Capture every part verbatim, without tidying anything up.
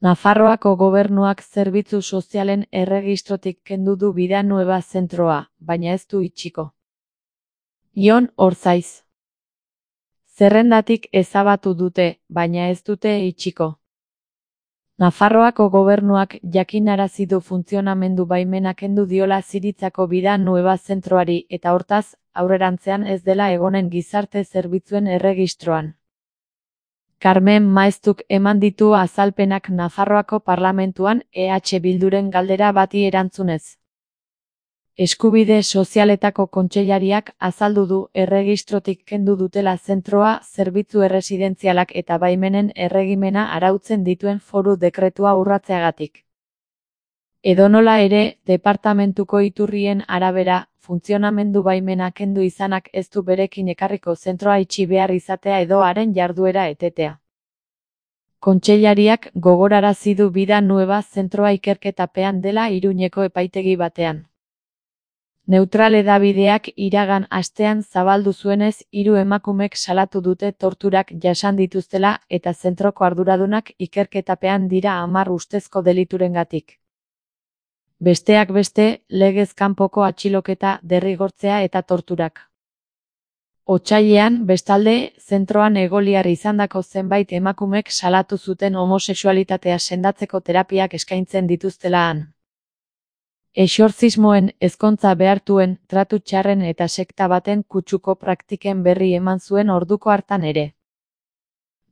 Nafarroako gobernuak zerbitzu sozialen erregistrotik kendu du Vida Nueva zentroa, baina ez du itxiko. Jon Orzaiz. Zerrendatik ezabatu dute, baina ez dute itxiko. Nafarroako gobernuak jakinarazi du funtzionamendu baimena kendu diola Ziritzako Vida Nueva zentroari eta hortaz, aurrerantzean ez dela egonen gizarte zerbitzuen erregistroan. Carmen Maeztuk eman ditu azalpenak Nafarroako parlamentuan E H Bilduren galdera bati erantzunez. Eskubide sozialetako kontseilariak azaldu du erregistrotik kendu dutela zentroa zerbitzu erresidentzialak eta baimenen erregimena arautzen dituen foru dekretua urratzeagatik. Edonola ere, departamentuko iturrien arabera, funtzionamendu baimena kendu izanak ez du berekin ekarriko zentroa itxi behar izatea edo haren jarduera etetea. Kontseilariak gogorarazi du Vida Nueva zentroa ikerketapean dela Iruñeko epaitegi batean. Neutral hedabideak iragan astean zabaldu zuenez, hiru emakumek salatu dute torturak jasan dituztela eta zentroko arduradunak ikerketapean dira hamar ustezko deliturengatik. Besteak beste, legez kanpoko atxiloketa, derrigortzea eta torturak. Otsailean, bestalde, zentroan egoliar izandako zenbait emakumek salatu zuten homosexualitatea sendatzeko terapiak eskaintzen dituztela han. Exorzismoen, ezkontza behartuen, tratu txarren eta sekta baten kutsuko praktiken berri eman zuen orduko hartan ere.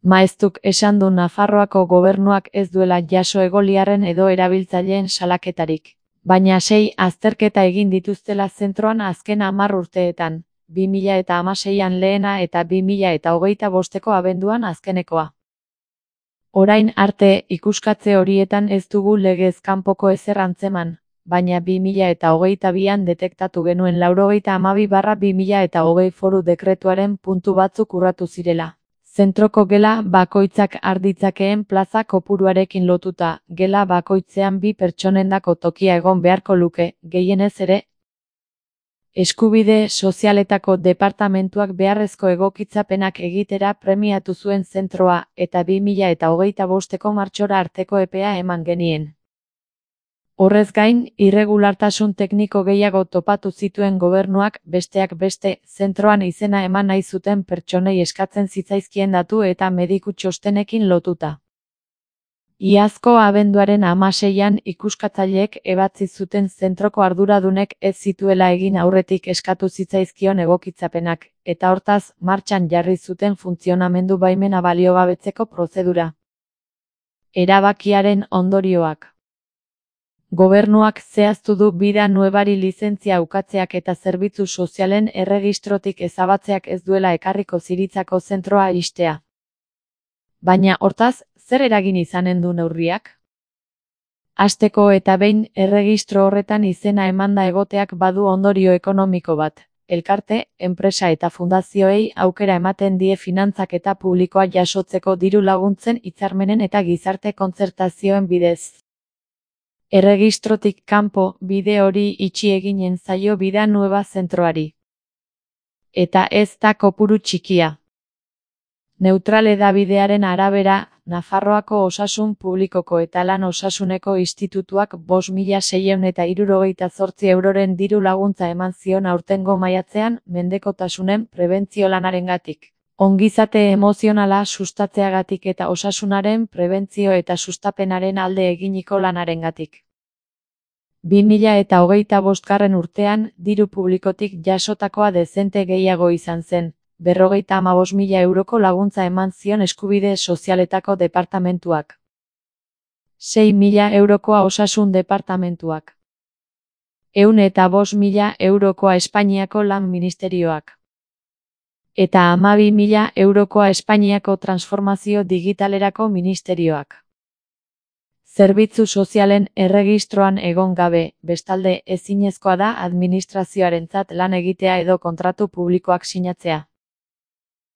Maeztuk esan du Nafarroako gobernuak ez duela jaso egoliarren edo erabiltzaileen salaketarik, baina sei azterketa egin dituztela zentroan azken hamar urteetan, bi mila eta hamaseian lehena eta bi mila eta hogeita bosteko abenduan azkenekoa. Orain arte, ikuskatze horietan ez dugu legez kanpoko ezer antzeman, baina bi mila eta hogeita bian detektatu genuen laurogeita hamabi barra bi mila eta hogei foru dekretuaren puntu batzuk urratu zirela. Zentroko gela bakoitzak arditzakeen plaza kopuruarekin lotuta, gela bakoitzean bi pertsonendako tokia egon beharko luke, gehienez ere. Eskubide sozialetako departamentuak beharrezko egokitzapenak egitera premiatu zuen zentroa eta bi mila eta hogeita bosteko martxora arteko epea eman genien. Horrez gain, irregulartasun tekniko gehiago topatu zituen gobernuak, besteak beste, zentroan izena eman nahi zuten pertsonei eskatzen zitzaizkien datu eta mediku txostenekin lotuta. Iazko abenduaren hamaseian ikuskatzaileek ebatzi zuten zentroko arduradunek ez zituela egin aurretik eskatu zitzaizkion egokitzapenak, eta hortaz, martxan jarri zuten funtzionamendu baimena baliogabetzeko prozedura. Erabakiaren ondorioak. Gobernuak zehaztu du Vida Nuevari lizentzia ukatzeak eta zerbitzu sozialen erregistrotik ezabatzeak ez duela ekarriko Ziritzako zentroa ixtea. Baina hortaz, zer eragin izanen du neurriak? Hasteko eta behin erregistro horretan izena emanda egoteak badu ondorio ekonomiko bat. Elkarte, enpresa eta fundazioei aukera ematen die finantzaketa publikoa jasotzeko diru laguntzen hitzarmenen eta gizarte kontzertazioen bidez. Erregistrotik kanpo, bide hori itxi eginen zaio Vida Nueva zentroari. Eta ez da kopuru txikia. Neutral hedabidearen arabera, Nafarroako osasun publikoko eta lan osasuneko institutuak bost mila seiehun eta hirurogeita zortzi euroren diru laguntza eman zion aurtengo maiatzean mendekotasunen prebentzio lanarengatik. Ongizate emozionala sustatzeagatik eta osasunaren prebentzio eta sustapenaren alde eginiko lanarengatik. bi mila eta hogeita bostgarren urtean, diru publikotik jasotakoa dezente gehiago izan zen, berrogeita hamabost mila euroko laguntza eman zion eskubide sozialetako departamentuak. sei mila eurokoa osasun departamentuak. Ehun eta bost mila eurokoa Espainiako lan ministerioak. Eta hamabi mila eurokoa Espainiako transformazio digitalerako ministerioak. Zerbitzu sozialen erregistroan egon gabe, bestalde ezinezkoa da administrazioarentzat lan egitea edo kontratu publikoak sinatzea.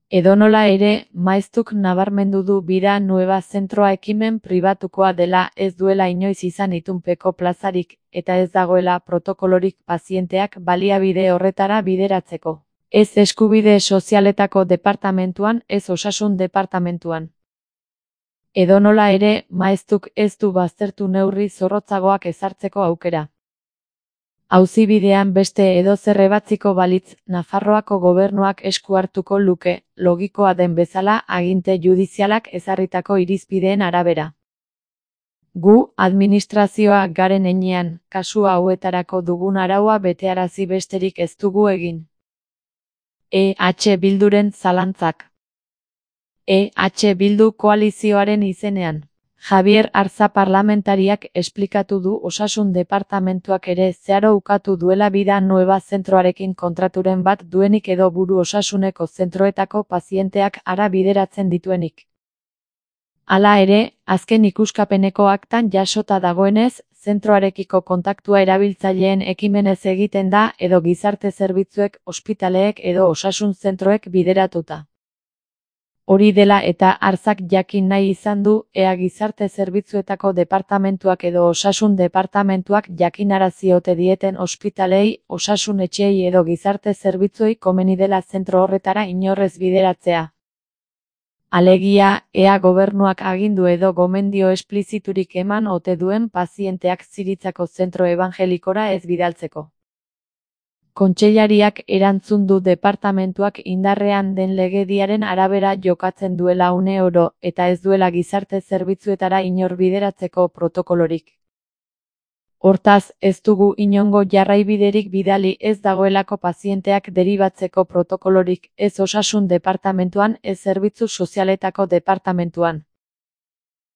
Edonola ere, Maeztuk nabarmendu du Vida Nueva zentroa ekimen pribatukoa dela ez duela inoiz izan itunpeko plazarik, eta ez dagoela protokolorik pazienteak baliabide horretara bideratzeko. Ez eskubide sozialetako departamentuan, ez osasun departamentuan. Edonola ere, maeztuk ez du baztertu neurri zorrotzagoak ezartzeko aukera. Auzibidean beste edozer ebatziko balitz, Nafarroako gobernuak esku hartuko luke, logikoa den bezala aginte judizialak ezarritako irizpideen arabera. Gu, administrazioa garen heinean, kasu hauetarako dugun araua betearazi besterik ez dugu egin. E H Bilduren zalantzak. E H Bildu koalizioaren izenean. Javier Arza parlamentariak esplikatu du Osasun departamentuak ere zeharo ukatu duela Vida Nueva zentroarekin kontraturen bat duenik edo buru osasuneko zentroetako pazienteak hara bideratzen dituenik. Hala ere, azken ikuskapeneko aktan jasota dagoenez, zentroarekiko kontaktua erabiltzaileen ekimenez egiten da edo gizarte zerbitzuek, ospitaleek edo osasun zentroek bideratuta. Hori dela eta Arzak jakin nahi izan du, ea gizarte zerbitzuetako departamentuak edo osasun departamentuak jakinarazi ote dieten ospitalei, osasun etxeei edo gizarte zerbitzuei komeni dela zentro horretara inorrez bideratzea. Alegia, ea gobernuak agindu edo gomendio espliziturik eman ote duen pazienteak Ziritzako zentro ebangelikora ez bidaltzeko. Kontseilariak erantzun du departamentuak indarrean den legediaren arabera jokatzen duela une oro eta ez duela gizarte zerbitzuetara inor bideratzeko protokolorik. Hortaz, ez dugu inongo jarraibiderik bidali ez dagoelako pazienteak deribatzeko protokolorik ez osasun departamentuan ez zerbitzu sozialetako departamentuan.